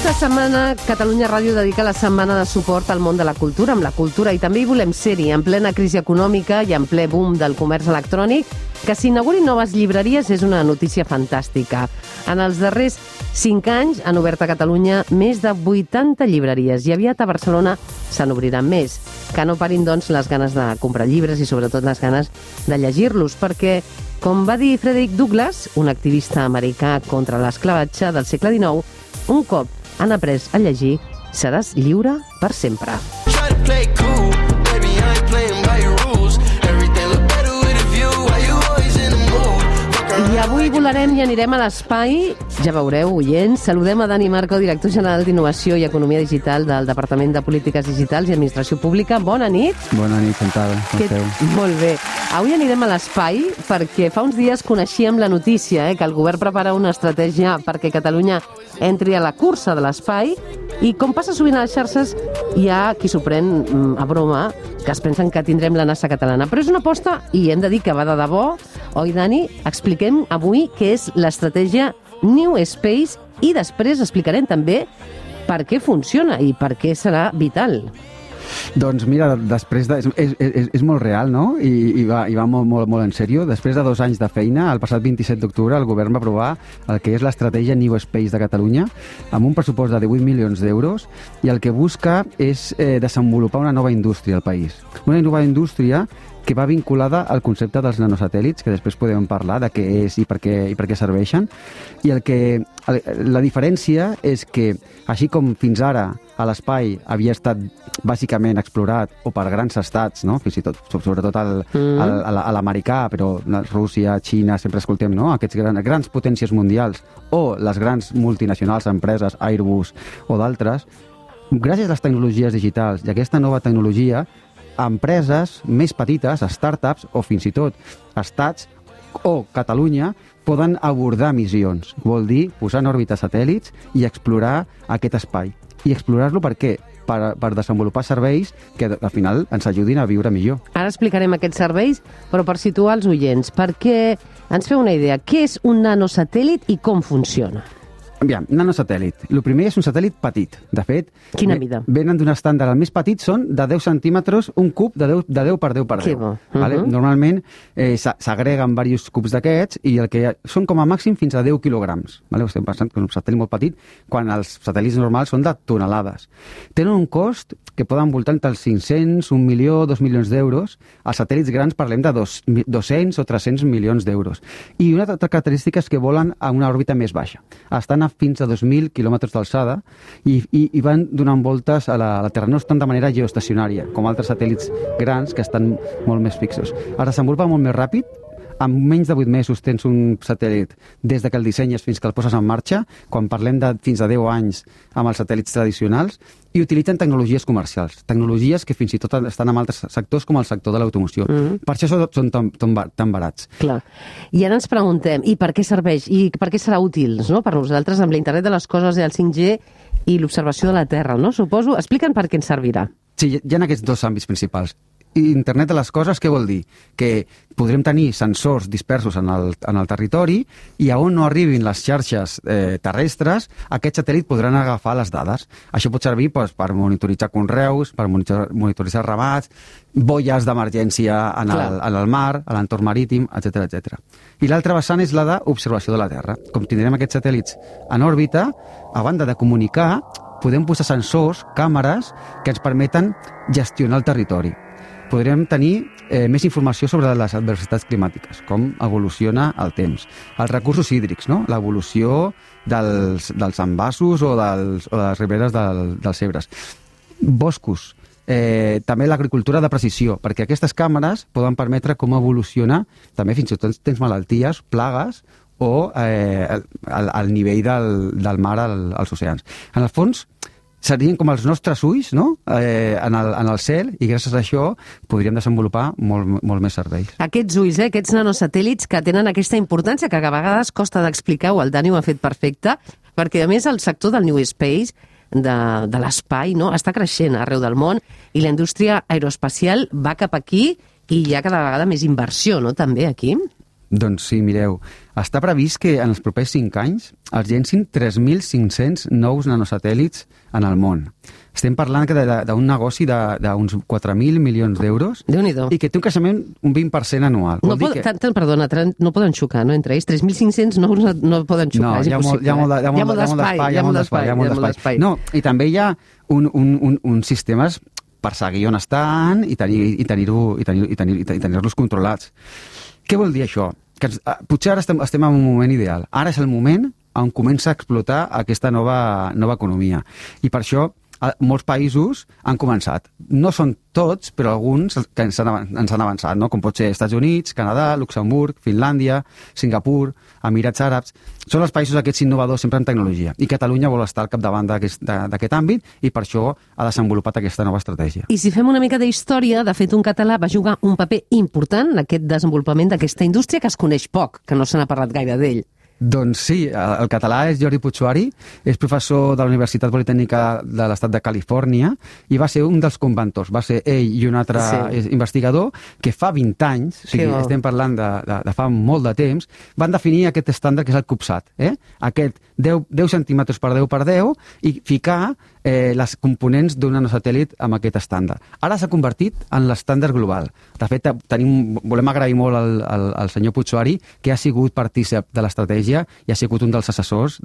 Aquesta setmana Catalunya Ràdio dedica la setmana de suport al món de la cultura, amb la cultura, i també hi volem ser-hi, en plena crisi econòmica i en ple boom del comerç electrònic. Que s'inaugurin noves llibreries és una notícia fantàstica. En els darrers 5 anys han obert a Catalunya més de 80 llibreries i aviat a Barcelona se n'obriran més. Que no parin, doncs, les ganes de comprar llibres i sobretot les ganes de llegir-los, perquè, com va dir Frederick Douglass, un activista americà contra l'esclavatge del segle XIX, un cop han après a llegir, seràs lliure per sempre. I avui volarem i anirem a l'espai, ja veureu, oients. Saludem a Dani Marco, director general d'Innovació i Economia Digital del Departament de Polítiques Digitals i Administració Pública. Bona nit. Bona nit, Chantal. Com esteu? Molt bé. Avui anirem a l'espai perquè fa uns dies coneixíem la notícia que el govern prepara una estratègia perquè Catalunya entri a la cursa de l'espai, i com passa sovint a les xarxes hi ha qui s'ho pren a broma, que es pensen que tindrem la NASA catalana. Però és una aposta i hem de dir que va de debò. Oi, Dani? Expliquem avui què és l'estratègia New Space i després explicarem també per què funciona i per què serà vital. Doncs mira, després és molt real, no? I va molt en sèrio. Després de 2 anys de feina, el passat 27 d'octubre, el govern va aprovar el que és l'estratègia New Space de Catalunya, amb un pressupost de 18 milions d'euros, i el que busca és desenvolupar una nova indústria al país. Una nova indústria que va vinculada al concepte dels nanosatèl·lits, que després podem parlar de què és i per què serveixen. I la diferència és que, així com fins ara a l'espai havia estat bàsicament explorat o per grans estats, no? Fins i tot, sobretot a l'americà, però Rússia, Xina, sempre escoltem, no? Aquests grans potències mundials, o les grans multinacionals, empreses, Airbus o d'altres, gràcies a les tecnologies digitals i a aquesta nova tecnologia, empreses més petites, startups o fins i tot estats o Catalunya poden abordar missions. Vol dir posar en òrbita satèl·lits i explorar aquest espai. I explorar-lo per què? Per desenvolupar serveis que al final ens ajudin a viure millor. Ara explicarem aquests serveis, però per situar els oients, perquè ens feu una idea. Què és un nanosatèl·lit i com funciona? Aviam, nanosatèl·lit. El primer és un satèl·lit petit. De fet, quina mida? Venen d'un estàndard. El més petit són de 10 centímetres, un cub de 10 per 10 per 10. Que bo. Vale? Normalment s'agreguen diversos cubs d'aquests i el que són com a màxim fins a 10 quilograms. Vale? Estem pensant que és un satèl·lit molt petit, quan els satèl·lits normals són de tonelades. Tenen un cost que poden voltar entre els 500, 1 milió, 2 milions d'euros. Els satèl·lits grans parlem de 200 o 300 milions d'euros. I una altra característica és que volen a una òrbita més baixa. Estan a fins a 2.000 quilòmetres d'alçada i van donant voltes a la Terra. No estan de manera geoestacionària, com altres satèl·lits grans que estan molt més fixos. Es desenvolupa molt més ràpid. En menys de 8 mesos tens un satèl·lit des de que el dissenyes fins que el poses en marxa, quan parlem de fins a 10 anys amb els satèl·lits tradicionals, i utilitzen tecnologies comercials, tecnologies que fins i tot estan en altres sectors com el sector de l'automoció. Per això són tan barats. Clar. I ara ens preguntem, i per què serveix? I per què serà útil, no? Per nosaltres amb l'internet de les coses i el 5G i l'observació de la Terra, no? Suposo. Explica'n per què ens servirà. Sí, hi ha aquests 2 àmbits principals. Internet de les coses, què vol dir? Que podrem tenir sensors dispersos en el territori i a on no arribin les xarxes terrestres, aquest satèl·lit podran agafar les dades. Això pot servir per monitoritzar conreus, per monitoritzar ramats, boies d'emergència en el mar, a l'entorn marítim, etc. I l'altra vessant és la d'observació de la Terra. Com tindrem aquests satèl·lits en òrbita, a banda de comunicar, podem posar sensors, càmeres, que ens permeten gestionar el territori. Podrem tenir més informació sobre les adversitats climàtiques, com evoluciona el temps. Els recursos hídrics, no? L'evolució dels envasos o de les riberes dels Ebres. Boscos. També l'agricultura de precisió, perquè aquestes càmeres poden permetre com evoluciona, també fins i tot tens malalties, plagues, o el nivell del mar als oceans. En el fons, serien com els nostres ulls, no? En el cel, i gràcies a això podríem desenvolupar molt més serveis. Aquests ulls, aquests nanosatèl·lits que tenen aquesta importància que a vegades costa d'explicar, el Dani ho ha fet perfecte, perquè a més el sector del New Space, de l'espai, no? Està creixent arreu del món i la indústria aeroespacial va cap aquí i hi ha cada vegada més inversió, no? També aquí. Doncs sí, mireu, està previst que en els propers 5 anys es llencin 3.500 nous nanosatèl·lits en el món. Estem parlant d'un negoci d'uns 4.000 milions d'euros i que té un creixement un 20% anual. Perdona, no poden xocar, no, entre ells? 3.500 nous no poden xocar, és impossible. Hi ha molt d'espai. No, i també hi ha uns sistemes per seguir on estan i tenir-los controlats. Què vol dir això? Que potser ara estem en un moment ideal. Ara és el moment on comença a explotar aquesta nova economia. I per això molts països han començat. No són tots, però alguns que ens han avançat, no? Com pot ser Estats Units, Canadà, Luxemburg, Finlàndia, Singapur, Emirats Àrabs. Són els països aquests innovadors sempre en tecnologia. I Catalunya vol estar al capdavant d'aquest àmbit i per això ha desenvolupat aquesta nova estratègia. I si fem una mica d'història, de fet un català va jugar un paper important en aquest desenvolupament d'aquesta indústria que es coneix poc, que no se n'ha parlat gaire d'ell. Doncs sí, el català és Jordi Puigsuari, és professor de la Universitat Politècnica de l'Estat de Califòrnia i va ser un dels conventors. Va ser ell i un altre investigador que fa 20 anys, o sigui, estem parlant de fa molt de temps, van definir aquest estàndard que és el CubeSat. Aquest 10 centímetres per 10 per 10 i ficar les components d'un nanosatèl·lit amb aquest estàndard. Ara s'ha convertit en l'estàndard global. De fet, volem agrair molt al senyor Puigsuari, que ha sigut partícip de l'estratègia i ha sigut un dels assessors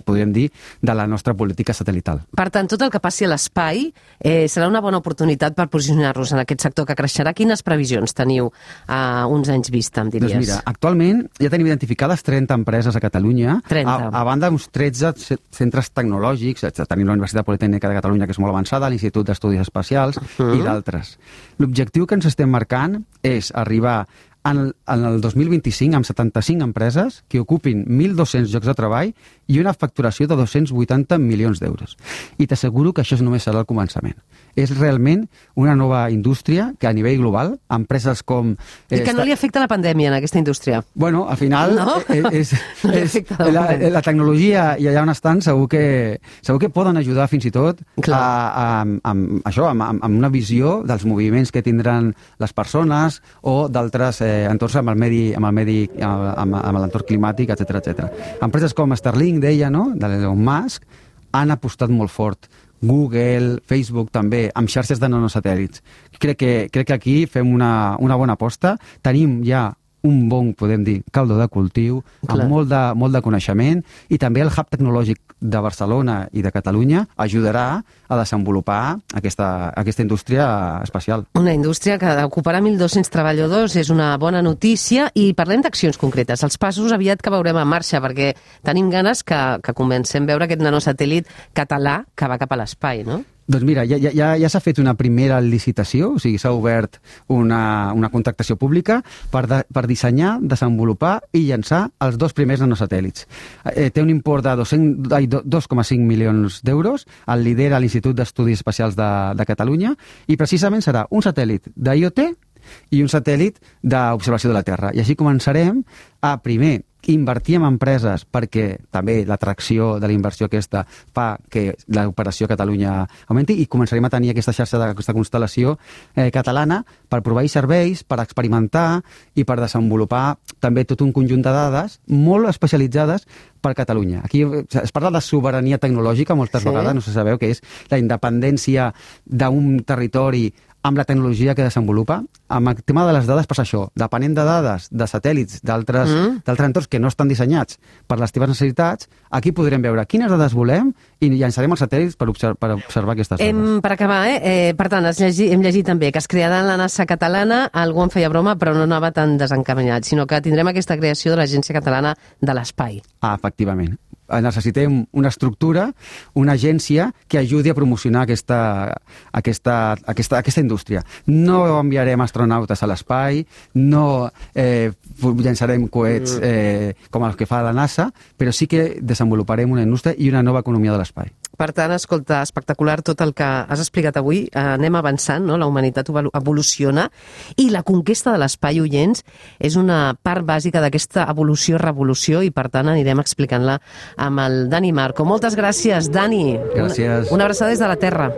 podríem dir, de la nostra política satelital. Per tant, tot el que passi a l'espai serà una bona oportunitat per posicionar-nos en aquest sector que creixerà. Quines previsions teniu a uns anys vista, em diries? Doncs mira, actualment ja tenim identificades 30 empreses a Catalunya, a banda d'uns 13 centres tecnològics. Tenim la Universitat Politècnica de Catalunya, que és molt avançada, l'Institut d'Estudis Espacials i d'altres. L'objectiu que ens estem marcant és arribar en el 2025 amb 75 empreses que ocupin 1.200 llocs de treball i una facturació de 280 milions d'euros. I t'asseguro que això només serà el començament. És realment una nova indústria que a nivell global, empreses com... I que no li afecta la pandèmia en aquesta indústria. Bueno, al final, la tecnologia i allà on estan segur que poden ajudar fins i tot amb una visió dels moviments que tindran les persones o d'altres entorns amb l'entorn climàtic, etc. Empreses com Starlink, deia, no?, de l'Elon Musk, han apostat molt fort. Google, Facebook també, amb xarxes de nanosatèl·lits. Crec que aquí fem una bona aposta. Tenim ja un bon, podem dir, caldo de cultiu, amb molt de coneixement, i també el hub tecnològic de Barcelona i de Catalunya ajudarà a desenvolupar aquesta indústria espacial. Una indústria que ocuparà 1.200 treballadors, és una bona notícia, i parlem d'accions concretes. Els passos aviat que veurem en marxa, perquè tenim ganes que comencem a veure aquest nanosatèl·lit català que va cap a l'espai, no? Doncs mira, ja s'ha fet una primera licitació, o sigui, s'ha obert una contractació pública per dissenyar, desenvolupar i llançar els 2 primers nanosatèl·lits. Té un import de 2,5 milions d'euros, el lidera l'Institut d'Estudis Espacials de Catalunya, i precisament serà un satèl·lit d'IoT i un satèl·lit d'observació de la Terra. I així començarem a, primer, invertir en empreses, perquè també l'atracció de la inversió aquesta fa que l'operació a Catalunya augmenti, i començarem a tenir aquesta xarxa d'aquesta constel·lació catalana per proveir serveis, per experimentar i per desenvolupar també tot un conjunt de dades molt especialitzades per Catalunya. Aquí es parla de sobirania tecnològica moltes vegades, no sé si sabeu, que és la independència d'un territori amb la tecnologia que desenvolupa. Amb el tema de les dades passa això. Depenent de dades, de satèl·lits, d'altres entorns que no estan dissenyats per les teves necessitats, aquí podrem veure quines dades volem i llançarem els satèl·lits per observar aquestes dades. Per acabar, per tant, hem llegit també que es crearà la NASA catalana, algú en feia broma, però no anava tan desencaminat, sinó que tindrem aquesta creació de l'Agència Catalana de l'Espai. Efectivament. Necessitem una estructura, una agència que ajudi a promocionar aquesta indústria. No enviarem astronautes a l'espai, no llançarem coets com els que fa la NASA, però sí que desenvoluparem una indústria i una nova economia de l'espai. Per tant, escolta, espectacular tot el que has explicat avui. Anem avançant, no? La humanitat evoluciona i la conquesta de l'espai, oients, és una part bàsica d'aquesta evolució-revolució, i per tant anirem explicant-la amb el Dani Marco. Moltes gràcies, Dani. Gràcies. Una abraçada des de la Terra.